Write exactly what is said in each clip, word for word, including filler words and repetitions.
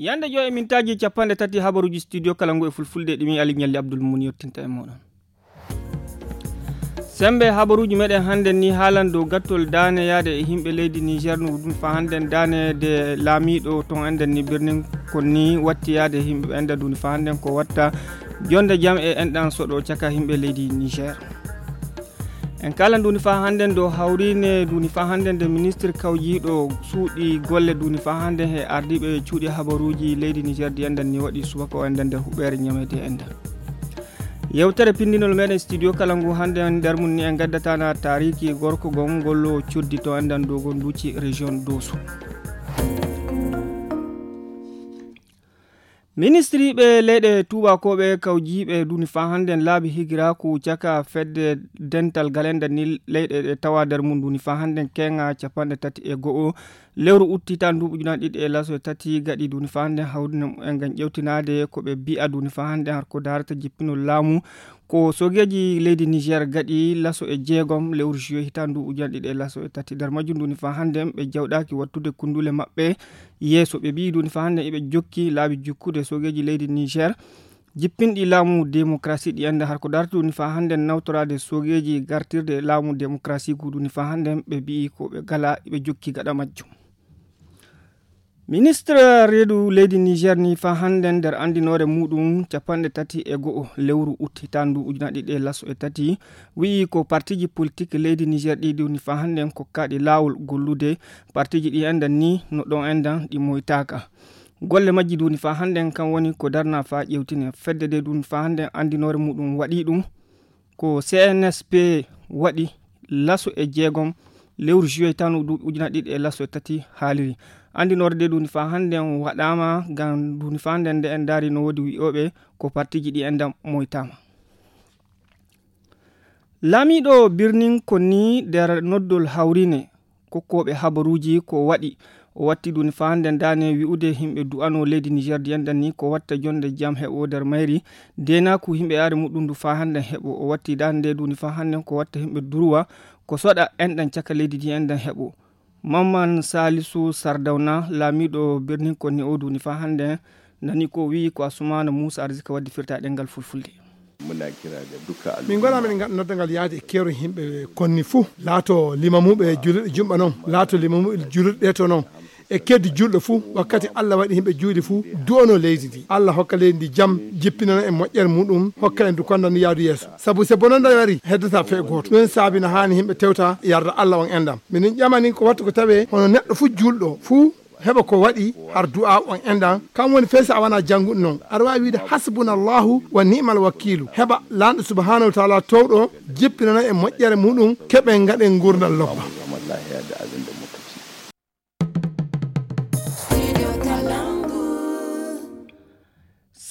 Yande joy e mintaaji capanɗe tati habaruuji studio kala ngu e fulfulde ɗi min Ali Ñalli Abdul Muni yottinta e mooɗon. Sembe habaruuji meɗen hannden ni haalan dow gattol daane yaade e yimɓe leydi Niger no ɗum fa hannden daane de laamiiɗo ton enɗan ni birnin kon ni watti yaade e yimɓe enɗan duni fa hannden ko watta jonde jam e enɗan soɗo caka yimɓe leydi Niger. En kala nduni fa hannden dow hawrine nduni fa hannden nde ministre kawjiiɗo suuɗi golle nduni fa hannden he ardiiɓe cuuɗi habaruuji leydi Niger di enɗan ni waɗi subaka o enɗan nder huɓɓeere ñamede enɗan. Yewtere pindinol meɗen studio kala ngu hannden nder mum ni en gaddatana taariki gorko gom ngollo coddi to enɗan dow gon duuci région Doso. Ministriiɓe leyɗe tuubakooɓe kawjiiɓe duni fa hannden laabi higiraaku caka fedde dental galenda ni leyɗe ɗe tawa nder mum duni fa hannden keŋa capanɗe tati e go'o lewru utti tan duuɓi ujunaaji ɗiɗi e laso e tati gaɗi duni fa hannden hawrine mumen ngam ƴewtinaade ko ɓe mbi'a duni fa hannden har ko daarata jippinol laamu ko sogeeji leydi Niger gaɗi laso e jeegom lewru juillet hitaan duuɓi ujunaaji ɗiɗi e laso e tati nder majjum duni fa hannden ɓe jawɗaaki wattude kundule maɓɓe yeeso ɓe mbiyi duni fa hannden eɓe jokki laabi jukkude sogeeji leydi Niger jippinɗi laamu démocratie ɗi enda har ko darti duni fa hannden nawtoraade sogeeji gartirde laamu démocratie gu duni fa hannden ɓe mbiyi ko ɓe gala ɓe jokki gaɗa majjum. Ministre reedu leydi Niger ni fa hannden nder anndinoore muɗum capanɗe tati e go'o lewru utti tan ndu ujunaaji ɗiɗi e laso e tati wi'i ko partiji politik leydi Niger ɗi duni fa hannden kokkaaɗi laawol gollude partiji ɗi enɗan ni no ɗon enɗan ɗi moytaaka. Golle majji duni fa hannden kan woni ko darna fa ƴewtine fedde de duni fa hannden anndinoore muɗum waɗi ɗum ko C N S P waɗi laso e jeegom lewru juillet tan duuɓi ujunaaji ɗiɗi e laso e tati haaliri. Anndinoore de duni fa hannden waɗaama ngam duni fa hannden nde en ndaari no woodi wi'ooɓe ko partiji ɗi enɗan moytaama. Laamiiɗo birnin konni nder noddol hawrine kokkooɓe habaruuji ko waɗi o watti duni fa hannden daane wi'ude yimɓe du'ano leydi Niger di enɗan ni ko watta jonde jam heɓo nder mayri deenaaku yimɓe yaade muɗum ndu fa hannden heɓo o watti daande nde duni fa hannden ko watta yimɓe durwa ko soɗa enɗan caka leydi di enɗan heɓo. Mamman Salisu Sardawna laamiiɗo birnin konni o duni fa hannden nani ko wi'i ko Asumana Musa Arzika waddi firta ɗengal fulfulde. Min gona min noddangal yaade e keero yimɓe konni fuu laato limamuɓe julirɗe jumɓa noon laato limamuɓe julirɗe ɗe to noon e keddi julɗo fuu wakkati Allah waɗi yimɓe juuɗe fuu du'ano leydi ndi Allah hokka leydi ndi jam jippinana e moƴƴere muɗum hokka en du konda ndi yaadu yeeso sabu se bononda wari heddata fee gooto ɗum saabi no haani yimɓe tewta yarda Allah on enɗam minin ƴamani ko wattu ko tawe hono neɗɗo fuu julɗo fuu heɓa ko waɗi har du'a on enɗan kam woni fey so a wona jannguɗo noon aɗa waawi wiide hasbunallahu wa ni'mal wakiilu heɓa lanɗo subhanahu wa taala towɗo jippinana e moƴƴere muɗum keɓen ngaɗen ngurdal lobba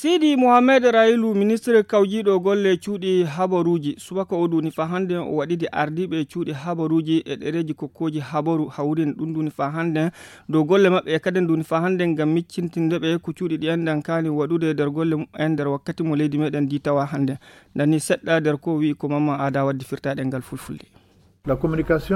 Sidi Mohamed Railu ministre kawjiiɗo golle cuuɗi habaruuji subaka o duni fa hannden o waɗidi ardiiɓe cuuɗi habaruuji e ɗereeji kokkooji habaru hawrin ɗum duni fa hannden dow golle maɓɓe e kaden duni fa hannden ngam miccintinde ɓe ko cuuɗi ɗi enɗan kaani waɗude nder golle mumen nder wakkati mo leydi meɗen ndi tawa hannden nani seɗɗa nder ko wi'i ko mamma aada waddi firtaɗe ngal fulfulde.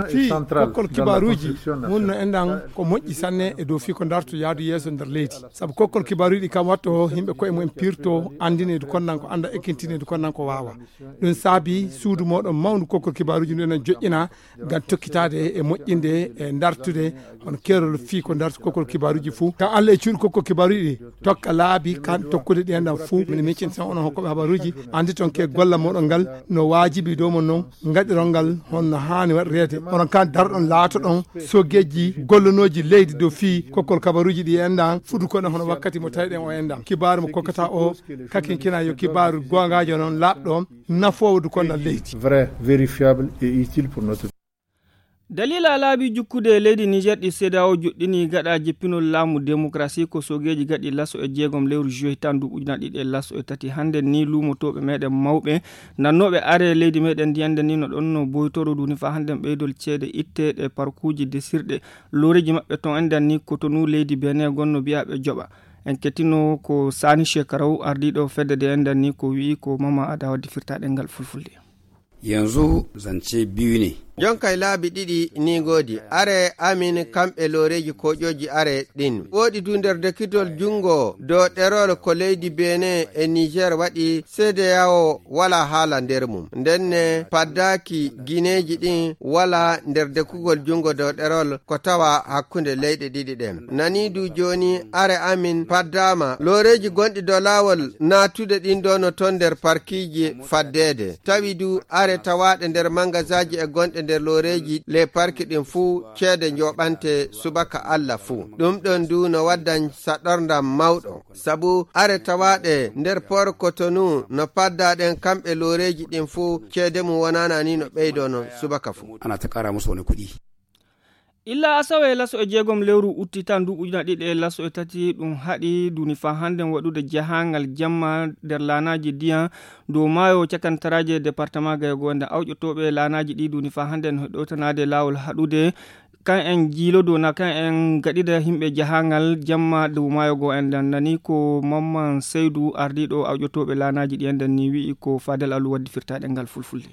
Fii kokkol kibaaruuji wonno enɗan ko moƴƴi sanne e dow fii ko darto yaadu yeeso nder leydi sabu kokkol kibaaruuji ɗi kam watto yimɓe koye mumen pirto anndine du konnan ko annda ekkintinne du konnan ko waawa ɗum saabi suudu moɗon mawndu kokkol kibaaruuji ndu enen joƴƴina ngam tokkitaade e moƴƴinde e dartude hono keerol fii ko darto kokkol kibaaruuji fuu kam Allah e cuuɗi kokkol kibaaruuji ɗi tokka laabi kan tokkude ɗi enɗan fuu mine miccin sen onon hokkoɓe habaruuji anndi ton ke golla moɗon ngal no waajibi dow mon noon ngaɗiron ngal honno haani waɗireede onon kan darɗon laatoɗon sogeeji gollonooji leydi dow fii kokkol kabaruuji ɗi enɗan fuɗu kono hono wakkati mo tawiɗen o enɗan kibaaru mo kokkata o kakinkina yo kibaaru goongaajo noon laaɓɗo nafoowo du konnal leydi vrai vérifiable et utile pour notre Dalila laabi jukkude leydi Niger ɗi CEDEAO joɗɗini gaɗa jippinol laamu démocratie ko sogeeji gaɗi laso e jeegom lewru juillet tan duuɓi ujunaaji ɗiɗi e laso e tati hannden ni luumotooɓe meɗen mawɓe nannooɓe are leydi meɗen ndiyande ni no ɗon no boytoro duni fa hannden ɓeydol ceede itte ɗe parkuuji desirɗe looreeji maɓɓe ton enɗan ni Cotonou leydi Benin gonno mbiya ɓe joɓa en kettino ko Sani Shekaraw ardiiɗo fedde de enɗan ni ko wi'i ko Mama Ada waddi firtaɗe ngal fulfulde. Yanzu zance biyu ne. Jonkay laabi ɗiɗi ni ngoodi. Are amin kamɓe looreeji koƴooji are ɗin. Woɗi du nder dekitol junngo dow ɗerol ko leydi Benin e Niger waɗi, C D A O wala haala nder mum. Ndenne paddaaki gineeji ɗin wala nder dekugol junngo dow ɗerol ko tawa hakkunde leyɗe ɗiɗi ɗen. Nani du jooni are amin paddaama looreeji gonɗi dow laawol naatude ɗin ɗo no ton nder parkiiji faddeede. Tawi du are tawaaɗe nder mangasaaji e gonɗe nder looreeji le parki ɗin fuu ceede njoɓante subaka Alla fuu. Ɗum ɗon du no waddan saɗorndam mawɗo. Sabu are tawaaɗe nder Port Cotonou no paddaa ɗen kamɓe looreeji ɗin fuu ceede mum wonaana ni no ɓeydoo non subaka fuu. Ana ta ƙara musu wani kuɗi. Illa asawe laso e jeegom lewru utti tan du ujuna ɗiɗi e laso e tati ɗum haɗi duni fa hannde waɗude jahangal jamma nder laanaaji diyan dow maayo cakantaraaji e département Gayo Gonda. Awƴotooɓe laanaaji ɗi duni fa hannde no ɗowtanaade laawol haɗude kan en jiilodo na kan en gaɗida yimɓe jahangal jamma dow maayo go en dan nani ko Mamman Seydu ardiiɗo awƴotooɓe laanaaji ɗi en dan ni wi'i ko Fadel Alu waddi firtaaɗe ngal fulfulde.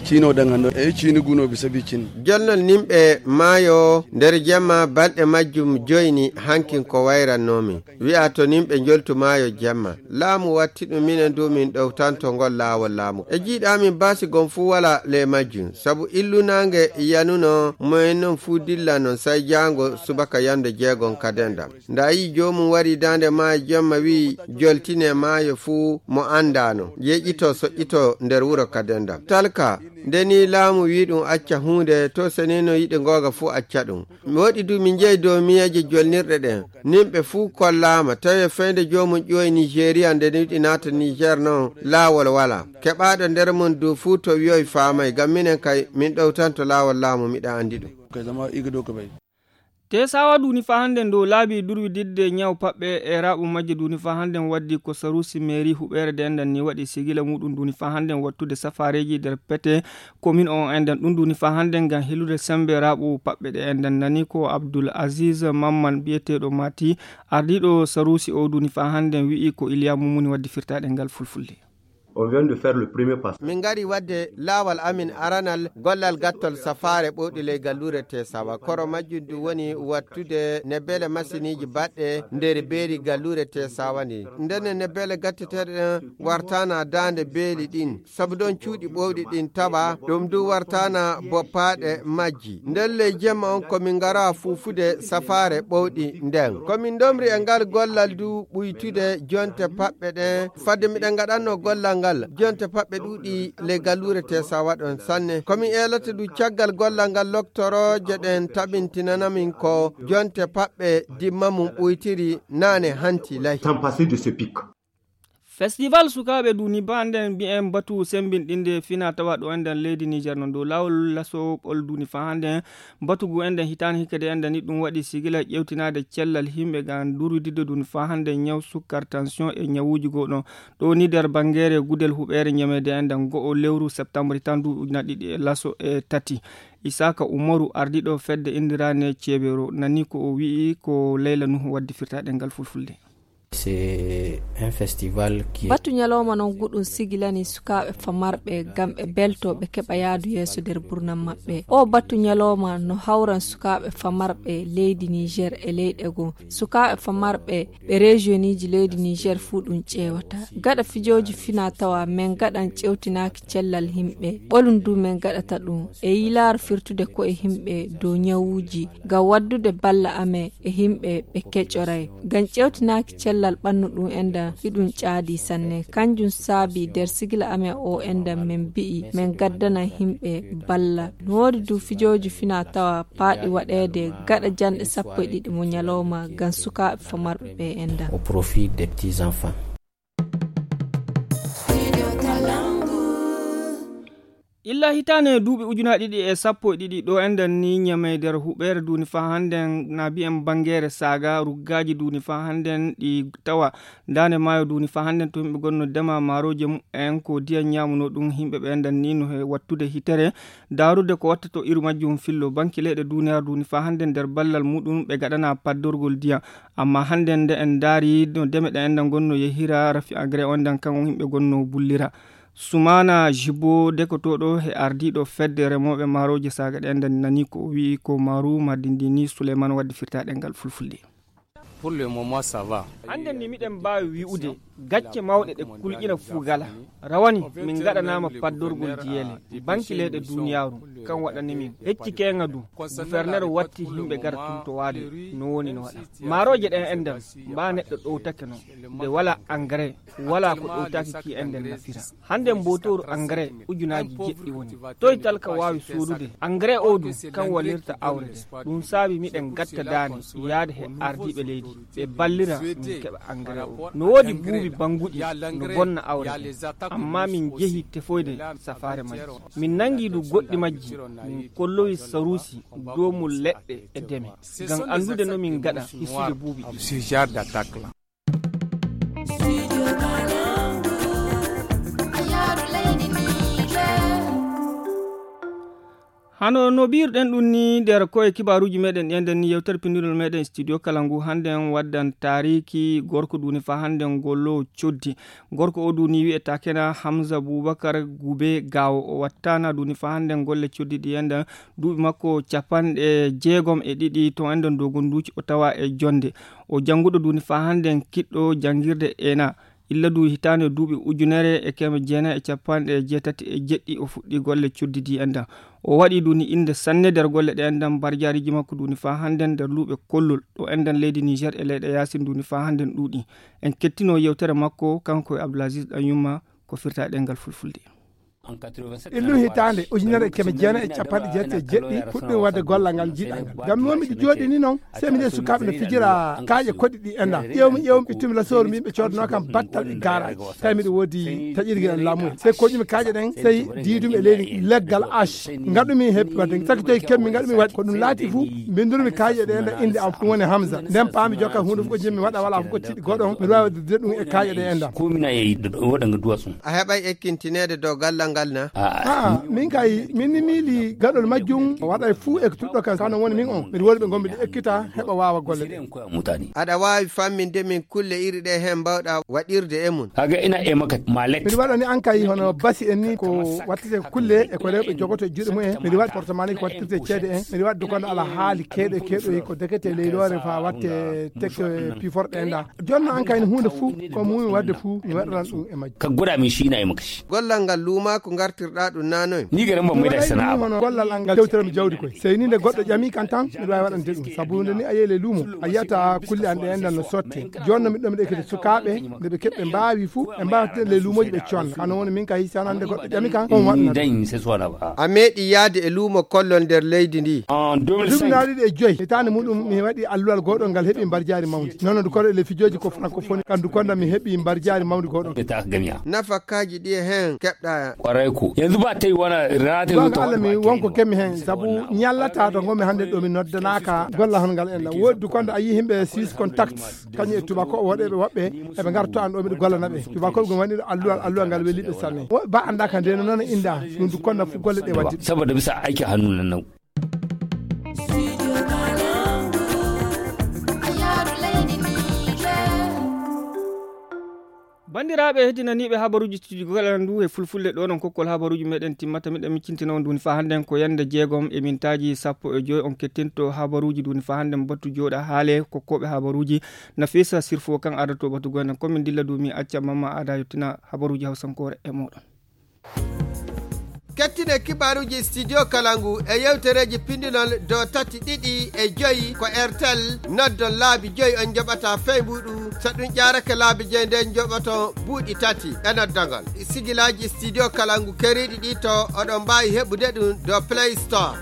Ciino ɗen hannde, e ciini gunooɓe sabi cin. Jolnol nimɓe maayo nder jemma balɗe majjum joyni hankin ko wayrannoomi. Wi'a to nimɓe njoltu maayo jemma. Laamu watti ɗum minen du min ɗowtanto ngol laawol laamu. E jiiɗa min baasi gon fuu wala ley majjum. Sabu illu naange yanuno moyen non fuu dilla non say jaango subaka yande jeegon kadendam. Nda yi joomum wari daande maayo jemma wi'i joltine maayo fuu mo andaano. Yeƴito soƴƴito nder wuro kadendam. Talka, nde ni laamu wi ɗum acca huunde, to senino yiɗi googa fuu acca ɗum. Mi waɗi du min njehi dow miyeeje jolnirɗe ɗen. Nimɓe fuu kollaama, tawi e feyde joomum ƴiwoyi Nigeria nde yiɗi naata Niger non, laawol wala. Keɓaaɗo nder mum du fuu to wi'oy faamay, ngam minen kay min ɗowtanto laawol laamu miɗa anndi ɗum. Tesawa duni fa hannde dow laabi durwididde ñaw paɓɓe e raɓu majje duni fa hannde waddi ko sarusi mairie huɓeere de endan ni waɗi sigila muɗum duni fa hannde wattude safareji nder pete commune o endan ɗum duni fa hannde ngam helude sembe raɓu paɓɓe ɗe endan nani ko Abdul Aziz Mamman biyeteɗo Mati ardiɗo sarusi o duni fa hannde wi'i ko Iliya Mumuni waddi firtaɗe ngal fulfulde. On vient de faire le premier pas. Min ngari wadde laawal amin aranal gollal gattol safaare ɓowɗi ley galluure Tesawa. Koro majjum du woni wattude nebbele masiniji baɗɗe nder beeri galluure Tesawa ndi. Ndenne nebbele gatteteeɗe ɗen wartana daande beeli ɗin. Sabu ɗon cuuɗi ɓowɗi ɗin tawa, ɗum du wartana boppaaɗe majji. Nden ley jemma on ko min ngara fuufude safaare ɓowɗi nden. Ko min ndomri e ngal gollal du ɓuytude jonte paɓɓe ɗen. Fadde miɗen ngaɗanno gollal ngal, jonte paɓɓe ɗuuɗi ley galluure Tesawa ɗon sanne. Ko min eelata du caggal gollal ngal loktorooje ɗen tabintinana min ko jonte paɓɓe dimma mum ɓuytiri naane hanti lay. Sans passer de ce pic. Festival sukaaɓe duni ba nden mbi'en batu sembinɗinde fina tawa ɗo enden leydi Niger non dow laawol laso ɓol duni fa hande batu gu enden hitaande hikka de enden ni ɗum waɗi sigila ƴewtinaade cellal yimɓe ngam durwididde duni fa hande ñaw sukkar tension e ñawuuji goo ɗon. Ɗo ni nder bangeere gudel huɓeere ñameede enden go'o lewru septembre tan du ujuna ɗiɗi e laso e tati. Isaka Umaru ardiiɗo fedde indirane ceebero nani ko o wi'i ko Leyla Nuhu waddi firtaɗe ngal fulfulde. C'est un festival qui est Batu ñalawma non guɗum sigilani sukaaɓe famarɓe ngam ɓe belto ɓe keɓa yaadu yeeso nder burnam maɓɓe. O batu ñalawma no hawran sukaaɓe famarɓe leydi Niger e leyɗe goo. Sukaaɓe famarɓe ɓe regioniji leydi Niger fuu ɗum ƴeewata. Gaɗa fijooji fina tawa men gaɗan ƴewtinaaki cellal yimɓe. Ɓolum du men gaɗata ɗum e yilaaro firtude ko'e yimɓe dow ñawuuji ngam waddude balla amen e yimɓe ɓe keƴoray. Ngam ƴewtinaaki cellal ɓannu ɗum enda hiɗum caadi sanne. Kanjum saabi nder sigila amen o enda men mbi'i men gaddana yimɓe balla. No woodi du fijooji fina tawa paaɗi waɗeede gaɗa janɗe sappo e ɗiɗi mo ñalawma ngam sukaaɓe famarɓe ɓe enda. Au profit des petits enfants. Illa hitaane duuɓi ujunaaji ɗiɗi e sappo e ɗiɗi ɗo enɗen ni ñamey nder huɓeere duuni faa hannden na mbi'en banngeere saaga ruggaaji duuni faa hannden ɗi tawa daande maayo duuni faa hannden to yimɓe gonno dema maarooje mumen ko diyan ñaamuno ɗum yimɓe ɓe enɗen ni no he wattude hitere daarude ko watta to iru majjum fillo banki leyɗe duuniyaaru duuni faa hannden nder ballal muɗum ɓe gaɗana paddorgol diyan amma hannden nde en ndaari no deme ɗe enɗen gonno yehira rafi engrais on ndan kan on yimɓe gonno bullira Sumaana Jibo, dekotooɗo e ardiiɗo fedde remooɓe maarooje saaga ɗe enɗam, nani ko o wi'i ko maaru mardi ndi ni Suleyman waddi firtaaɗe ngal fulfulde. Hannde ni miɗen mbaawi wi'ude gacce mawɗe ɗe kulƴina fuu gala. Rawani min ngaɗanaama paddorgol jiyeele, banki leyɗe duuniyaaru, kan waɗani min hecci keenga du. Guferner watti yimɓe gara tuntowaade no woni no waɗa. Maarooje ɗen enɗam, mbaa neɗɗo ɗowtake non. Nde walaa engrais, walaa ko ɗowtaaki ki enɗam nafira. Hannde mbootooru engrais ujunaaji jeɗɗi woni. Toy talka waawi soodude engrais oo du, kan wallirta awre nde? Ɗum saabi miɗen gatta daane yaade he ardiiɓe leydi, ɓe ballira min keɓa engrais oo. No woodi buubi bannguɗi no bonna awre nde, amma min jehi tefoyde safaare majji. Min nangi du goɗɗi majji, min kollowi saruusi, doomol leɗɗe e deme, ngam anndude no min ngaɗa hissude buubi ɗi. Hano no mbiiruɗen ɗum ni nder koye kibaaruuji meɗen ɗi enɗam ni, yewtere pinndinol meɗen studio kala ngu hannde en waddan taariki gorko duni fa hannde ngolo coddi. Gorko o duni wi'etaa kena Hamza Bubakar Gube Gawo. O wattana duni fa hannde golle coddi ɗi enɗam, duuɓi makko capanɗe jeegom e ɗiɗi to enɗam dogonduuci o tawa e jonde. O jannguɗo duni fa hannde kiɗɗo janngirde ena. Illa du hitaande duuɓi ujunere e keme jeenayi e capanɗe jeetati e jeɗɗi o fuɗɗi golle coddi ɗi enɗam. O waɗi duni innde sanne nder golle ɗe enɗam, mbarjaariji makko duni faa hannden nder luuɓe kollol ɗo enɗam leydi Niger e leyɗe yaasin duni faa hannden ɗuuɗi. En kettino yewtere makko kanko e Abdoulaziz Ɗanyumma ko firta e ɗemngal fulfulde. Illu hitaande ujunere e keme jeenayi e capanɗe jeetati e jeɗɗi fuɗɗi waɗde gollal ngal jiiɗal ngal. Ngam mi won miɗo jooɗi ni noon, sey mi yi'i sukaaɓe no fijira kaaƴe koɗi ɗi enɗam. Ƴeewmi, ƴeewmi, ittumi lasooru, mi ɓe coodnoo kam battal e garaaji. Tawi miɗo woodi taƴirgel e laamu. Sey koƴumi kaaƴe ɗen, sey diidumi e leydi leggal ash. Ngaɗumi heppi waɗde, sakki tawi keɓmi ngaɗumi waɗde. Ko ɗum laati fuu, mbinndurmi kaaƴe ɗe enɗam innde am, ɗum woni Hamza. Nden paami jokka huunde fof ko jimmi waɗa, wala fof ko tiɗi goɗɗo on, miɗo waawi waɗde ɗum e kaaƴe ɗe enɗam. Ko mina e waɗa nga duwa sun. A heɓay ekkintineede dow gallal ngal na? Aa, min kay, min ni miili gaɗol majjum, o waɗay fuu e tuɗɗo kan, kano woni min on. Miɗo woni ɓe ngonmi ɗo ekkita, heɓa waawa golle ɗe. Aɗa waawi famminde min kulle iri ɗe heen mbaawɗa waɗirde e mum? Haga ina e makkat, ma lek. Miɗo waɗani an kay hono basi en ni ko wattete kulle e ko rewɓe jogoto e juuɗe mum en. Miɗo waɗi portemani ko wattirte ceede en. Miɗo waɗi dukonde ala haali keeɗo e keeɗo ko dekete leyloore fa watte tekke piforɗe en ɗa. Jonno an kay huunde fuu ko muumi waɗde fuu mi waɗanan ɗum e majjum. Ka goɗa min siina e makasi. Gollal ngal luumaa ko ngartirɗaa ɗum naanoy? Ni garan ban mai da sana'a ba. Hono gollal an ngal tewtere mi jawdi koy. Sey ni nde goɗɗo ƴami kan tan, miɗo waawi waɗande ɗum. Sabu nde ni a yehi ley luumo, a yiyata kulle an ɗe enɗam no sotte. Jooni no miɗo ɗo miɗo ekkita sukaaɓe, nde ɓe keɓɓe mbaawi fuu, ɓe mbaawa tedde ley luumooji ɓe conna. Kano woni min kay, si wonaa nde goɗɗo ƴami kan, on waɗna ɗum. A meeɗi yaade e luumo kollol nder leydi ndi? Duuɓi naa ɗiɗi e joyi, hitaande muɗum mi waɗi alluwal gooɗol ngal heɓi mbarjaari mawndi. Noon du koɗo e le fijooji ko francophonie, kan du konda mi heɓi mbarjaari mawndi gooɗol. Nafakaaji ɗi e heen keɓ Kwarai ko. Yanzu ba ta yi wani rana ta zo ta Allah mi wonko kemi hen, sabu ñallata to ngomi hannde ɗo mi noddanaka golla hon ngal enɗam. Woodi du konda a yi himɓe six contact, kañum e tubako o waɗe ɓe woɓɓe, eɓe ngarto an ɗo miɗo gollana ɓe. Tubako ɓe wani alluwal, alluwal ngal weli ɓe sanne. Woɓɓe ba annda ka nde noon inda, ɗum du konda fu golle ɗe waddi. Saboda bisa aiki hannu nan nau. Banndiraaɓe heddinaniiɓe habaruuji studio kala ndu e fulfulde ɗo non kokkol habaruuji meɗen timmata. Miɗen miccintina on duni fa hannden ko yannde jeegom e mintaaji sappo e joy on kettinto habaruuji duni fa hannden battu jooɗa haale kokkooɓe habaruuji. Nafisa Sirfo kan adato batu goynen ko min dilla dumi acca mamma ada yottina habaruuji hawsankoore e moɗon. Kettine kibaaruuji studio kala ngu e yewtereeji pindinol do tati ɗiɗi e joyi ko airtel. Noddon laabi joyi on njoɓata feybuɗu. So ɗum ƴaarake laabi joyi nden njoɓoto buuɗi tati e noddagol. Sigilaaji studio kala ngu keriiɗi ɗi to oɗon mbaawi heɓude ɗum do play store.